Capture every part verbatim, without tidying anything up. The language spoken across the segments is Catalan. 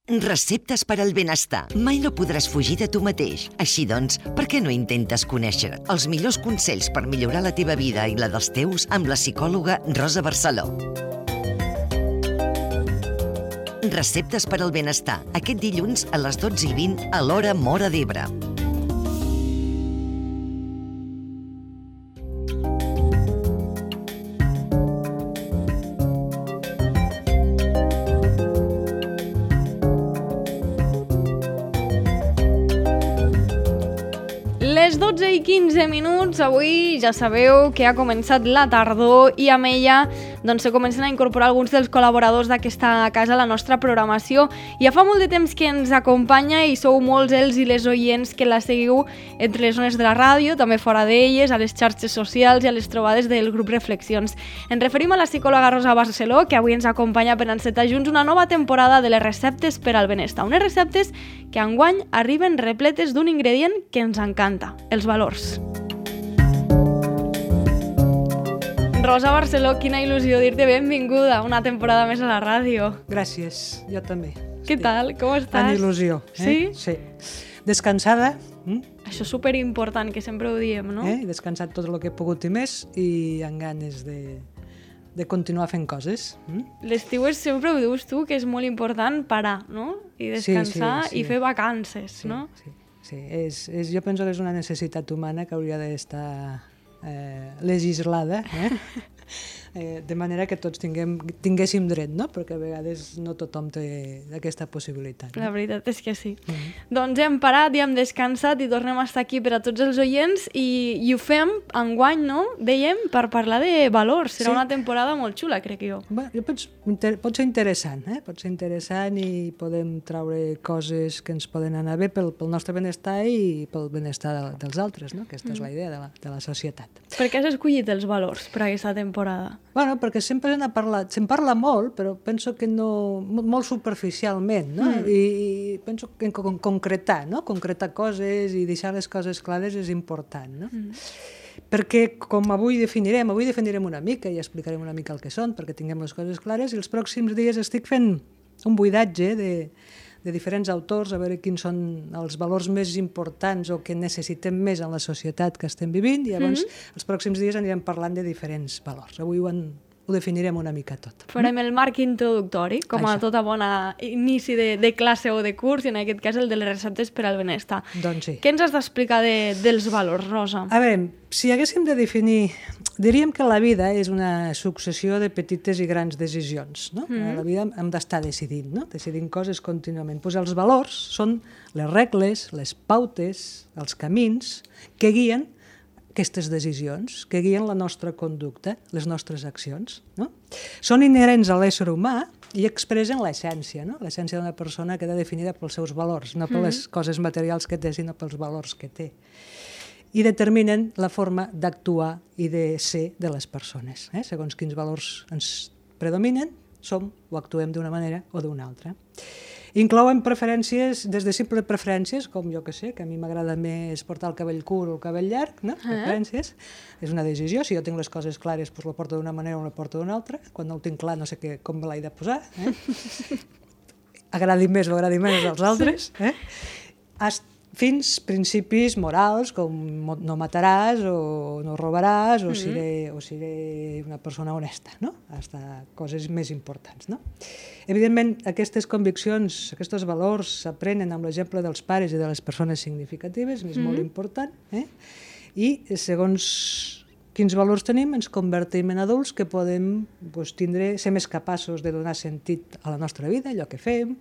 Receptes per al benestar. Mai no podràs fugir de tu mateix. Així doncs, per què no intentes conèixer els millors consells per millorar la teva vida i la dels teus amb la psicòloga Rosa Barceló? Receptes per al benestar. Aquest dilluns a les dotze i vint a l'hora Móra d'Ebre. Les dotze i quinze minuts, avui ja sabeu que ha començat la tardor i amb ella doncs, se comencen a incorporar alguns dels col·laboradors d'aquesta casa a la nostra programació. Ja fa molt de temps que ens acompanya i sou molts els i les oients que la seguiu entre les zones de la ràdio, també fora d'elles, a les xarxes socials i a les trobades del grup Reflexions. Ens referim a la psicòloga Rosa Barceló, que avui ens acompanya per encetar junts una nova temporada de les receptes per al benestar. Unes receptes que enguany arriben repletes d'un ingredient que ens encanta, els valors. Rosa Barceló, quina il·lusió dir-te benvinguda una temporada més a la ràdio. Gràcies, jo també. Què tal? Com estàs? Amb il·lusió. Eh? Sí? Sí. Descansada. Mm? Això és superimportant, que sempre ho diem, no? Eh? He descansat tot el que he pogut i més i amb ganes de, de continuar fent coses. Mm? L'estiu és, sempre ho dius tu, que és molt important parar, no? I descansar sí, sí, sí. i fer vacances, sí, no? Sí, sí. És, és, jo penso que és una necessitat humana que hauria d'estar eh, legislada, eh? eh, de manera que tots tinguem, tinguéssim dret, no? Perquè a vegades no tothom té aquesta possibilitat. No? La veritat és que sí. Mm-hmm. Doncs hem parat i hem descansat i tornem a estar aquí per a tots els oients i, i ho fem enguany, no? Dèiem, per parlar de valors. Serà Sí. una temporada molt xula, crec jo. Bé, jo penso, inter, pot ser interessant, eh? Pot ser interessant i podem traure coses que ens poden anar bé pel, pel nostre benestar i pel benestar de, dels altres, no? Aquesta és la idea de la, de la societat. Per què has escollit els valors per a aquesta temporada? Bueno, perquè sempre se'n parla, se'n parla molt, però penso que no, molt superficialment, no? Mm. I, I penso que en con concretar, no? Concretar coses i deixar les coses clares és important, no? Mm. Perquè, com avui definirem, avui definirem una mica i explicarem una mica el que són, perquè tinguem les coses clares, i els pròxims dies estic fent un buidatge de, de diferents autors, a veure quins són els valors més importants o que necessitem més en la societat que estem vivint, i llavors mm-hmm. els pròxims dies anirem parlant de diferents valors. Avui ho, en, ho definirem una mica tot. Farem el marc introductori, com a Això. tota bona inici de, de classe o de curs, i en aquest cas el de les receptes per al benestar. Doncs sí. Què ens has d'explicar de, dels valors, Rosa? A veure, si haguéssim de definir... Diríem que la vida és una successió de petites i grans decisions, no? Mm. A la vida hem d'estar decidint, no? Decidint coses contínuament. Pues els valors són les regles, les pautes, els camins que guien aquestes decisions, que guien la nostra conducta, les nostres accions, no? Són inherents a l'ésser humà i expressen l'essència, no? L'essència d'una persona queda definida pels seus valors, no per les coses materials que té, sinó pels valors que té. I determinen la forma d'actuar i de ser de les persones. Eh? Segons quins valors ens predominen, som o actuem d'una manera o d'una altra. Inclouen preferències, des de simples preferències, com jo que sé, que a mi m'agrada més portar el cabell curt o el cabell llarg, no? Preferències. És una decisió, si jo tinc les coses clares, doncs la porto d'una manera o la porto d'una altra. Quan no ho tinc clar, no sé què, com me l'he de posar. Eh? Agradi més o agradi menys als altres. Eh? Has fins principis morals, com no mataràs o no robaràs o, mm-hmm. seré, o seré una persona honesta, no? Hasta coses més importants, no? Evidentment, aquestes conviccions, aquests valors s'aprenen amb l'exemple dels pares i de les persones significatives, és mm-hmm. molt important, eh? I segons quins valors tenim, ens convertim en adults que podem doncs, tindre, ser més capaços de donar sentit a la nostra vida, allò que fem,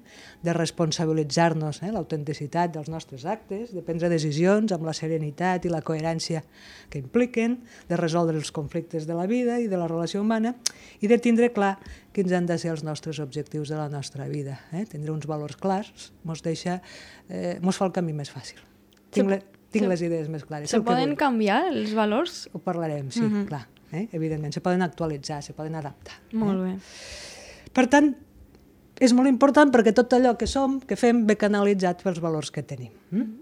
de responsabilitzar-nos, eh, l'autenticitat dels nostres actes, de prendre decisions amb la serenitat i la coherència que impliquen, de resoldre els conflictes de la vida i de la relació humana i de tindre clar quins han de ser els nostres objectius de la nostra vida. Eh? Tindre uns valors clars mos deixa, eh, mos fa el camí més fàcil. Tinc la, Tinc les idees més clares. Se poden canviar els valors? Ho parlarem, sí, uh-huh. clar. Eh? Evidentment, se poden actualitzar, se poden adaptar. Molt bé. Eh? Per tant, és molt important perquè tot allò que som, que fem, ve canalitzat pels valors que tenim. Mm?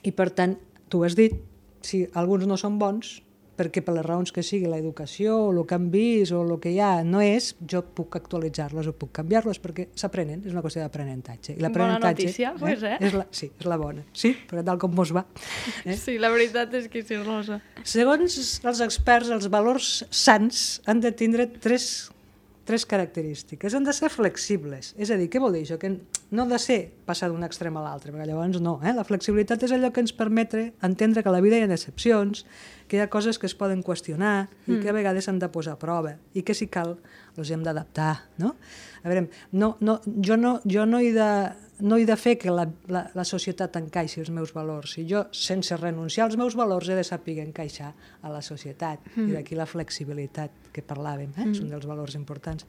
I per tant, tu has dit, si alguns no són bons, perquè per les raons que sigui l'educació o el que han vist o el que hi ha no és, jo puc actualitzar-los o puc canviar-los perquè s'aprenen, és una qüestió d'aprenentatge. Bona notícia, eh? Pues, eh? És la, sí, és la bona. Sí, perquè tal com mos va. Eh? Sí, la veritat és que sí, Rosa. Segons els experts, els valors sants han de tindre tres tres característiques. Han de ser flexibles. És a dir, què vol dir això? Que no ha de ser passar d'un extrem a l'altre, perquè llavors no. Eh? La flexibilitat és allò que ens permet entendre que a la vida hi ha excepcions, que hi ha coses que es poden qüestionar i mm. que a vegades s'han de posar a prova i que si cal els hem d'adaptar. No? A veure, no, no, jo, no, jo no he de... no he de fer que la, la, la societat encaixi els meus valors. Si jo, sense renunciar als meus valors, he de saber encaixar a la societat. Mm. I d'aquí la flexibilitat que parlàvem, eh? Mm. És un dels valors importants.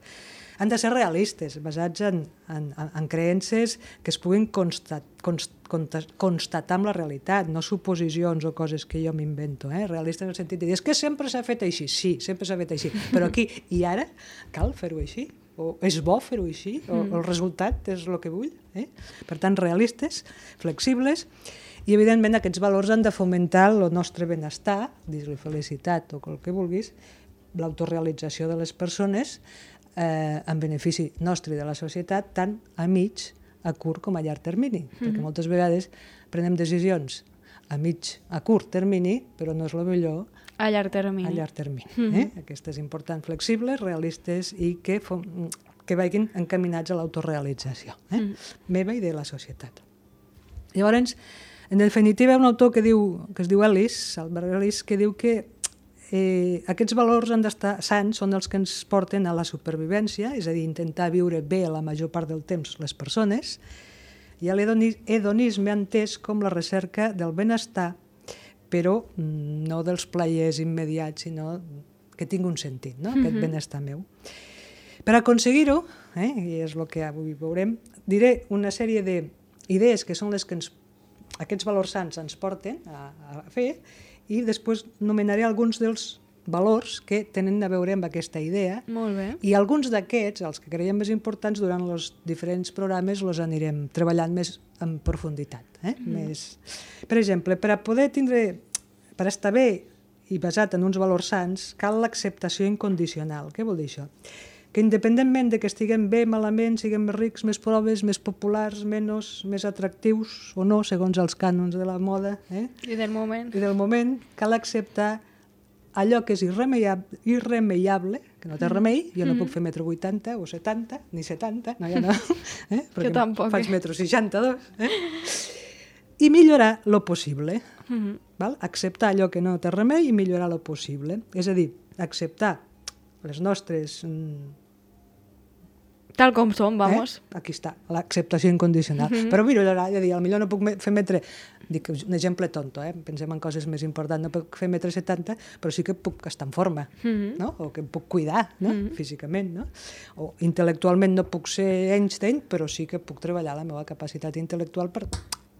Han de ser realistes, basats en, en, en creences que es puguin constat, const, constatar amb la realitat, no suposicions o coses que jo m'invento. Eh? Realistes en el sentit de dir, és que sempre s'ha fet així. Sí, sempre s'ha fet així. Però aquí i ara cal fer-ho així. O és bo fer-ho així, o el resultat és el que vull. Eh? Per tant, realistes, flexibles, i evidentment aquests valors han de fomentar el nostre benestar, dir-li felicitat o el que vulguis, l'autorealització de les persones eh, en benefici nostre i de la societat, tant a mig, a curt com a llarg termini, mm-hmm. perquè moltes vegades prenem decisions a mig, a curt termini, però no és el millor a llarg termini. A llarg termini. Mm-hmm. eh? Aquestes importants, flexibles, realistes i que, que vagin encaminats a l'autorealització eh? mm. meva i de la societat. Llavors, en definitiva, un autor que, diu, que es diu Ellis, Albert Ellis, que diu que eh, aquests valors han d'estar sants, són els que ens porten a la supervivència, és a dir, intentar viure bé la major part del temps les persones, i a l'hedonisme entès com la recerca del benestar, però no dels plaers immediats, sinó que tingui un sentit, no? Aquest benestar meu. Per aconseguir-ho, eh, i és el que avui veurem, diré una sèrie d'idees que són les que ens, aquests valors sants ens porten a, a fer, i després nomenaré alguns dels valors que tenen a veure amb aquesta idea. Molt bé. I alguns d'aquests, els que creiem més importants, durant els diferents programes els anirem treballant més en profunditat. Eh? Mm. Més... Per exemple, per a poder tindre, per estar bé i basat en uns valors sants, cal l'acceptació incondicional. Què vol dir això? Que independentment de que estiguem bé, malament, siguem més rics, més pobres, més populars, menys, més atractius o no, segons els cànons de la moda, eh? I del moment. I del moment, cal acceptar allò que és irremeiable, irremeiable, que no té remei, jo no mm. puc fer metro vuitanta o setanta, ni setanta, no, ja no, eh? Jo tampoc. Faig metro seixanta-dos. Eh? I millorar lo possible. Mm-hmm. Val? Acceptar allò que no té remei i millorar lo possible. És a dir, acceptar les nostres... Tal com som, vamos. Eh? Aquí està, l'acceptació incondicional. Mm-hmm. Però millorar, és a dir, potser no puc fer metre... Dic un exemple tonto, eh? Pensem en coses més importants. No puc fer metre setanta, però sí que puc estar en forma, mm-hmm. no? O que em puc cuidar, no? Mm-hmm. Físicament, no? O intel·lectualment no puc ser Einstein, però sí que puc treballar la meva capacitat intel·lectual per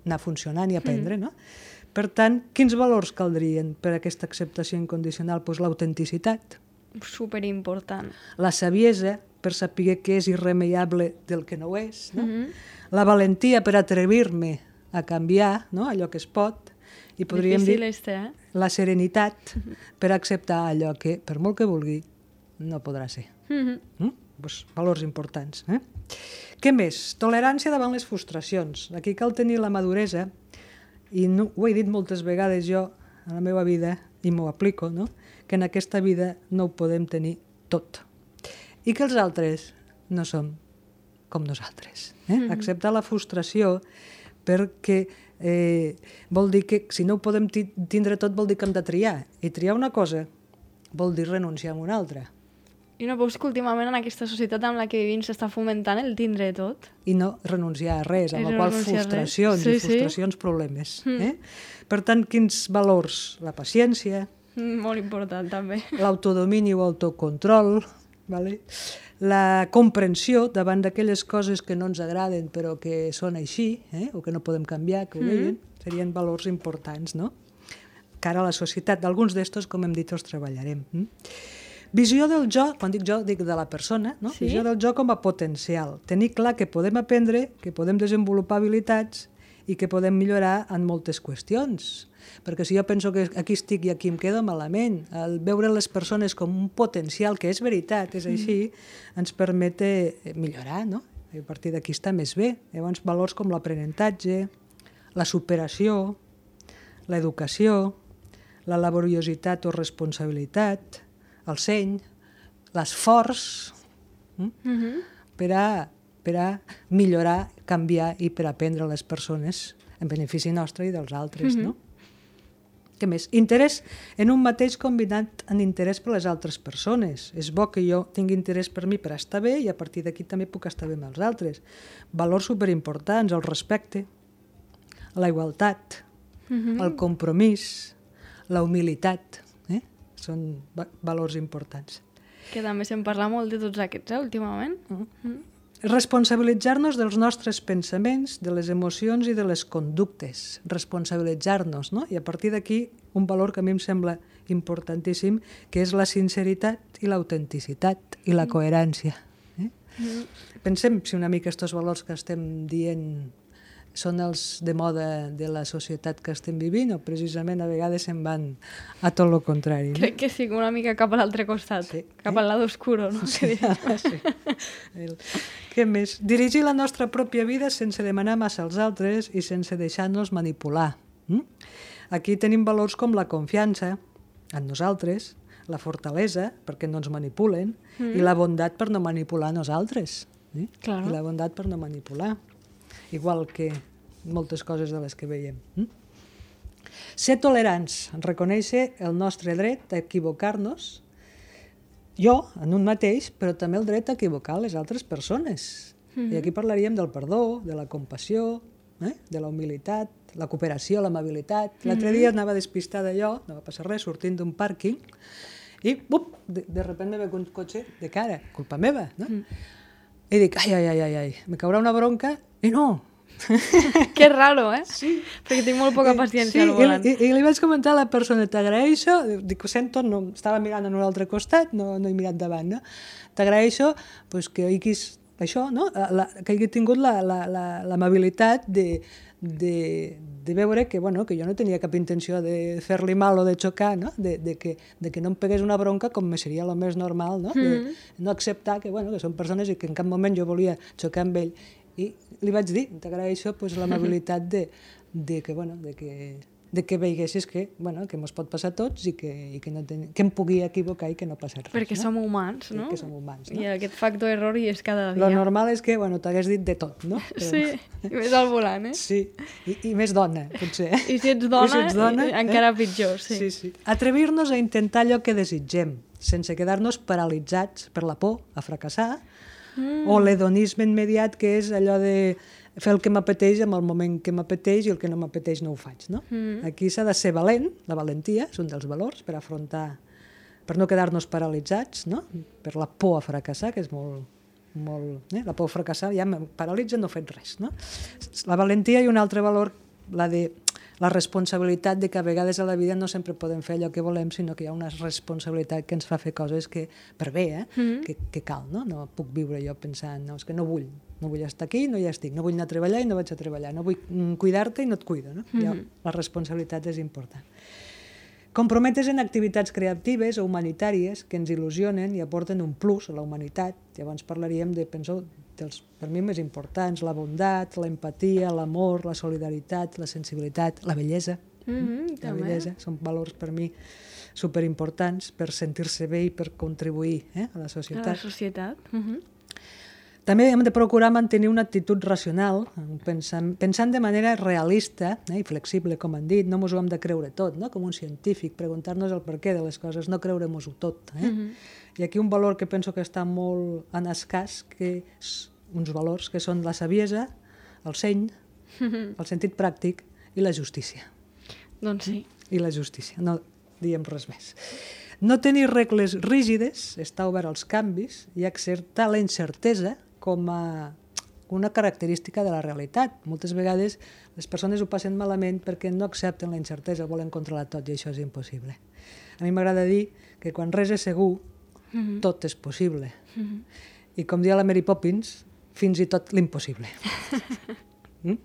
anar funcionant i aprendre, mm-hmm. no? Per tant, quins valors caldrien per a aquesta acceptació incondicional? Doncs l'autenticitat. Superimportant. La saviesa, per saber què és irremeiable del que no ho és, no? Mm-hmm. La valentia per atrevir-me a canviar, no? Allò que es pot, i podríem Difícil dir este, eh? la serenitat per acceptar allò que, per molt que vulgui, no podrà ser. Mm-hmm. Mm? Pues, valors importants. Eh? Què més? Tolerància davant les frustracions. Aquí cal tenir la maduresa, i no, ho he dit moltes vegades jo a la meva vida, i m'ho aplico, no? Que en aquesta vida no ho podem tenir tot. I que els altres no som com nosaltres. Eh? Mm-hmm. Acceptar la frustració perquè eh, vol dir que si no ho podem tindre tot vol dir que hem de triar. I triar una cosa vol dir renunciar a una altra. I no veus que últimament en aquesta societat amb la que vivim s'està fomentant el tindre tot? I no renunciar a res, amb la qual frustracions sí, i frustracions, sí. problemes. Mm. Eh? Per tant, quins valors? La paciència. Mm, molt important, també. L'autodomini o autocontrol, vale? La comprensió davant d'aquelles coses que no ens agraden però que són així, eh? O que no podem canviar, que ho veien, mm-hmm. serien valors importants, no? Cara a la societat. D'alguns d'estos, com hem dit, els treballarem. Mm? Visió del jo, quan dic jo, dic de la persona, no? Sí? Visió del jo com a potencial. Tenir clar que podem aprendre, que podem desenvolupar habilitats i que podem millorar en moltes qüestions. Perquè si jo penso que aquí estic i aquí em quedo malament, el veure les persones com un potencial, que és veritat, és així, ens permet millorar, no? I a partir d'aquí està més bé. Llavors, valors com l'aprenentatge, la superació, l'educació, la laboriositat o responsabilitat, el seny, l'esforç, mm? mm-hmm. per, a, per a millorar, canviar i per aprendre les persones en benefici nostre i dels altres, mm-hmm. no? Què més? Interès en un mateix combinat en interès per les altres persones. És bo que jo tingui interès per mi per estar bé i a partir d'aquí també puc estar bé amb els altres. Valors superimportants, el respecte, la igualtat, mm-hmm. el compromís, la humilitat, eh? Són va- valors importants. Que també se'n parla molt de tots aquests, eh, últimament. Mm-hmm. Responsabilitzar-nos dels nostres pensaments, de les emocions i de les conductes. Responsabilitzar-nos, no? I a partir d'aquí, un valor que a mi em sembla importantíssim, que és la sinceritat i l'autenticitat i la coherència. Eh? Mm. Pensem si una mica aquests valors que estem dient són els de moda de la societat que estem vivint o precisament a vegades se'n van a tot el contrari. No? Crec que sí, una mica cap a l'altre costat, sí. cap eh? al lado oscuro, no? Sí, sí. El... Què més? Dirigir la nostra pròpia vida sense demanar massa als altres i sense deixar-nos manipular. Mm? Aquí tenim valors com la confiança en nosaltres, la fortalesa, perquè no ens manipulen, mm. i la bondat per no manipular nosaltres. Eh? Claro. I la bondat per no manipular. Igual que moltes coses de les que veiem. Mm? Ser tolerants, reconèixer el nostre dret a equivocar-nos, jo, en un mateix, però també el dret a equivocar les altres persones. Mm-hmm. I aquí parlaríem del perdó, de la compassió, eh? de la humilitat, la cooperació, l'amabilitat. Mm-hmm. L'altre dia anava despistada jo, no va passar res, sortint d'un pàrquing, i up, de, de repente me ve un cotxe de cara, culpa meva, no? Mm. I dic, ai, ai, ai, ai, ai, me caurà una bronca, i no. Que raro, eh? Sí. Perquè tinc molt poca paciència sí, al volant. I, i, i li vaig comentar a la persona, t'agraeixo, dic, ho sento, no, estava mirant en un altre costat, no, no he mirat davant, no? T'agraeixo pues, que haguis, això, no? La, que hagi tingut l'amabilitat la, la, de, de, de veure que, bueno, que jo no tenia cap intenció de fer-li mal o de xocar, no? De, de, que, de que no em pegués una bronca com me seria el més normal, no? De no acceptar que, bueno, que són persones i que en cap moment jo volia xocar amb ell. I li vaig dir, t'agraeixo pues, l'amabilitat de, de, que, bueno, de, que, de que veiguessis que, bueno, que mos pot passar a tots i que, i que, no ten... que em pugui equivocar i que no passa res. Perquè no? som humans, no? Perquè som humans, no? I aquest factor error hi és cada dia. Lo normal és que, bueno, t'hagués dit de tot, no? Però... Sí, i més al volant, eh? Sí, I, i més dona, potser. I si ets dona, I si ets dona encara eh? pitjor, sí. Sí, sí. Atrevir-nos a intentar allò que desitgem, sense quedar-nos paralitzats per la por a fracassar, mm. o l'hedonisme immediat, que és allò de fer el que m'apeteix en el moment que m'apeteix i el que no m'apeteix no ho faig, no? Mm. Aquí s'ha de ser valent, la valentia és un dels valors per afrontar, per no quedar-nos paralitzats, no? Per la por a fracassar, que és molt... molt eh? La por a fracassar ja em paralitza, no he fet res, no? La valentia i un altre valor, la de la responsabilitat de que a vegades a la vida no sempre podem fer allò que volem, sinó que hi ha una responsabilitat que ens fa fer coses que, per bé, eh? Mm-hmm. que, que cal, no? No puc viure jo pensant, no, és que no vull, no vull estar aquí, no hi estic, no vull anar a treballar i no vaig a treballar, no vull cuidar-te i no et cuido, no? Mm-hmm. Ja, la responsabilitat és important. Comprometes en activitats creatives o humanitàries que ens il·lusionen i aporten un plus a la humanitat. Llavors parlaríem de, penso, dels, per mi, més importants, la bondat, l'empatia, l'amor, la solidaritat, la sensibilitat, la bellesa. Mm-hmm, la també. bellesa són valors per mi superimportants per sentir-se bé i per contribuir eh, a la societat. A la societat. Mm-hmm. També hem de procurar mantenir una actitud racional, pensant, pensant de manera realista eh, i flexible, com han dit, no ens ho hem de creure tot, no? Com un científic, preguntar-nos el per què de les coses, no creure-nos-ho tot. Eh? Mm-hmm. I aquí un valor que penso que està molt en escàs, que és uns valors que són la saviesa, el seny, mm-hmm. el sentit pràctic i la justícia. Doncs sí. I la justícia, no diem res més. No tenir regles rígides, estar obert als canvis i acceptar la incertesa com a una característica de la realitat. Moltes vegades les persones ho passen malament perquè no accepten la incertesa, volen controlar tot i això és impossible. A mi m'agrada dir que quan res és segur, mm-hmm. tot és possible. Mm-hmm. I com dia la Mary Poppins, fins i tot l'impossible. Mm?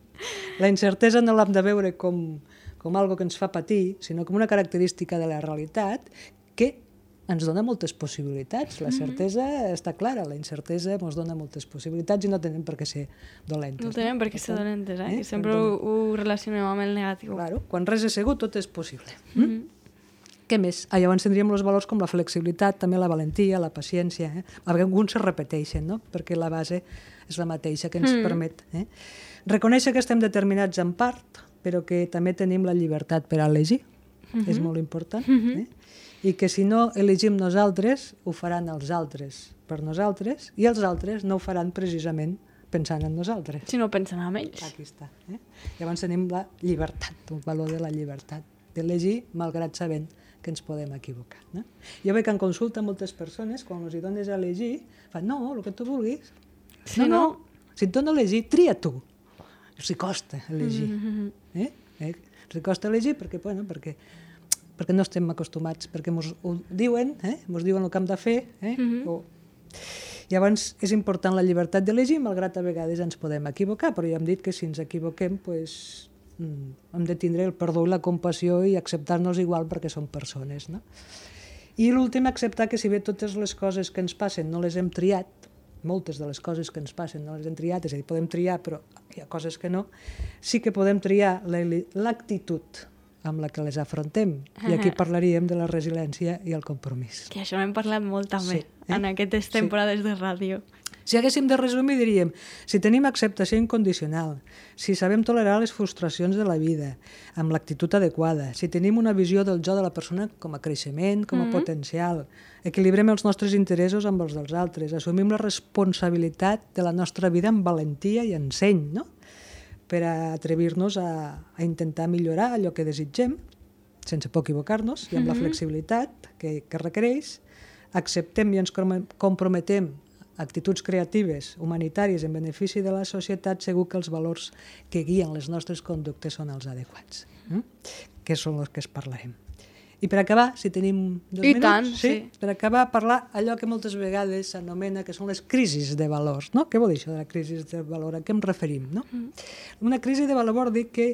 La incertesa no l'hem de veure com, com algo que ens fa patir, sinó com una característica de la realitat que ens dona moltes possibilitats. La certesa està clara, la incertesa ens dona moltes possibilitats i no tenen per què ser dolentes. No tenen per què ser dolentes, eh? eh? Sempre ho, ho relacionem amb el negatiu. Claro, quan res és segur, tot és possible. Mm? Mm-hmm. Què més? Ah, llavors tindríem els valors com la flexibilitat, també la valentia, la paciència. Eh? Alguns se repeteixen, no? Perquè la base és la mateixa que ens mm. permet. Eh? Reconèixer que estem determinats en part, però que també tenim la llibertat per a elegir. Mm-hmm. És molt important. Mm-hmm. Eh? I que si no elegim nosaltres, ho faran els altres per nosaltres, i els altres no ho faran precisament pensant en nosaltres. Si no pensen en ells. Aquí està. Eh? Llavors tenim la llibertat, el valor de la llibertat, d'elegir malgrat sabent que ens podem equivocar. No? Jo veig en consulta moltes persones, quan els hi dones a elegir, fan, no, el que tu vulguis. Si no, no... no, si et dona a elegir, tria tu. Els hi costa elegir. Mm-hmm. Eh? Eh? Els hi costa elegir perquè, bueno, perquè perquè no estem acostumats, perquè ens ho diuen, eh? ens diuen el que hem de fer. Eh? Mm-hmm. o... Llavors, és important la llibertat d'elegir, malgrat a vegades ens podem equivocar, però ja hem dit que si ens equivoquem, pues, mm, hem de tindre el perdó i la compassió i acceptar-nos igual perquè som persones. No? I l'últim, acceptar que si bé totes les coses que ens passen no les hem triat, moltes de les coses que ens passen no les hem triat, és a dir, podem triar, però hi ha coses que no, sí que podem triar l'actitud amb la que les afrontem. I aquí parlaríem de la resiliència i el compromís. Que això n'hem parlat molt també, sí, eh? en aquestes temporades sí. de ràdio. Si haguéssim de resumir, diríem, si tenim acceptació incondicional, si sabem tolerar les frustracions de la vida, amb l'actitud adequada, si tenim una visió del jo de la persona com a creixement, com a mm-hmm. potencial, equilibrem els nostres interessos amb els dels altres, assumim la responsabilitat de la nostra vida amb valentia i enseny, no? Per a atrevir-nos a, a intentar millorar allò que desitgem, sense por equivocar-nos, i amb mm-hmm. la flexibilitat que, que requereix, acceptem i ens comprometem actituds creatives, humanitàries, en benefici de la societat, segur que els valors que guien les nostres conductes són els adequats, mm? que són els que es parlarem. I per acabar, si tenim dos I minuts, tant, sí, sí. per acabar, parlar allò que moltes vegades s'anomena que són les crisis de valors. No? Què vol dir això de la crisi de valor? A què em referim? No? Mm. Una crisi de valor vol dir que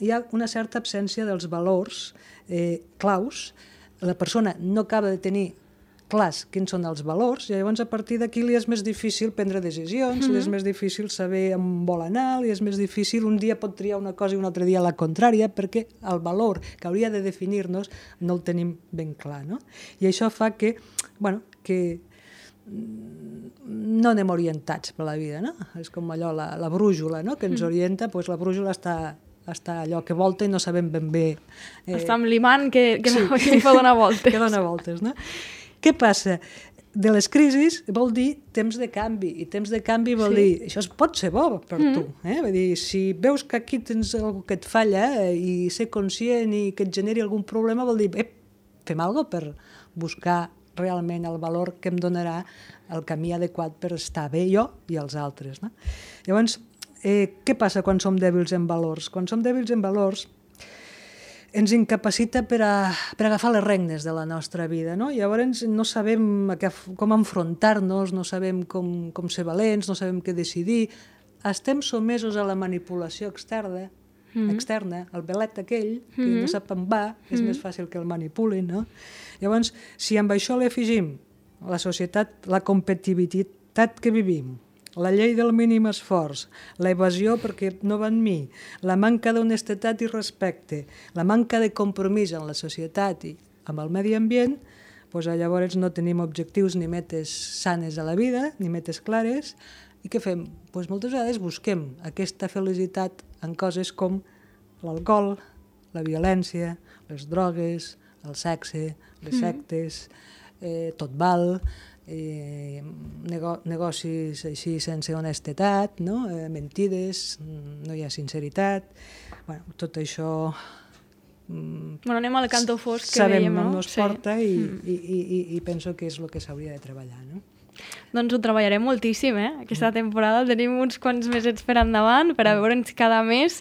hi ha una certa absència dels valors eh, claus. La persona no acaba de tenir clars quins són els valors, i llavors a partir d'aquí li és més difícil prendre decisions, mm-hmm. li és més difícil saber on vol anar, li és més difícil, un dia pot triar una cosa i un altre dia la contrària, perquè el valor que hauria de definir-nos no el tenim ben clar. No? I això fa que, bueno, que no anem orientats per la vida. No? És com allò, la, la brújula, no? que ens orienta, doncs la brújula està... està allò que volta i no sabem ben bé... Eh... Està amb l'imant que, que, sí. que fa donar voltes. Que dona voltes, no? Què passa? De les crisis vol dir temps de canvi, i temps de canvi vol sí. dir, això pot ser bo per mm. tu. Eh? Vull dir, si veus que aquí tens alguna que et falla eh, i ser conscient i que et generi algun problema, vol dir, eh, fem alguna cosa per buscar realment el valor que em donarà el camí adequat per estar bé jo i els altres. No? Llavors, eh, què passa quan som dèbils en valors? Quan som dèbils en valors, ens incapacita per, a, per agafar les regnes de la nostra vida, no? Llavors no sabem que, com enfrontar-nos, no sabem com, com ser valents, no sabem què decidir, estem somesos a la manipulació externa, mm-hmm. externa, el belet aquell, que mm-hmm. no sap on va, és mm-hmm. més fàcil que el manipulin, no? Llavors, si amb això li afegim la societat, la competitivitat que vivim, la llei del mínim esforç, la evasió perquè no va en mi, la manca d'honestedat i respecte, la manca de compromís en la societat i amb el medi ambient, doncs llavors no tenim objectius ni metes sanes a la vida, ni metes clares, i què fem? Doncs moltes vegades busquem aquesta felicitat en coses com l'alcohol, la violència, les drogues, el sexe, les sectes, eh, tot val, Eh, nego negocis així sense honestedat, no? eh, mentides, no hi ha sinceritat, bueno, tot això mm, bueno, anem al canto fosc que sabem dèiem, no? on ens porta sí. i, mm. i, i, i penso que és el que s'hauria de treballar. No? Doncs ho treballarem moltíssim, eh? Aquesta temporada tenim uns quants mesets per endavant per a veure'ns cada mes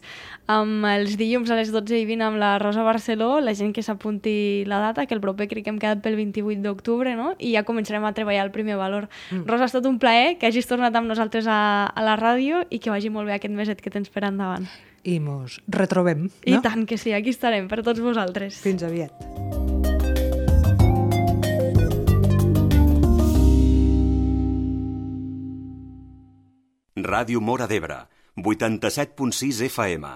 amb els dilluns a les dotze i vint amb la Rosa Barceló, la gent que s'apunti la data, que el proper crec que hem quedat pel vint-i-vuit d'octubre, no? I ja començarem a treballar el primer valor. Mm. Rosa, ha estat un plaer que hagis tornat amb nosaltres a, a la ràdio i que vagi molt bé aquest meset que tens per endavant. I mos retrobem, no? I tant que sí, aquí estarem per tots vosaltres. Fins aviat. Ràdio Móra d'Ebre, vuitanta-set punt sis F M.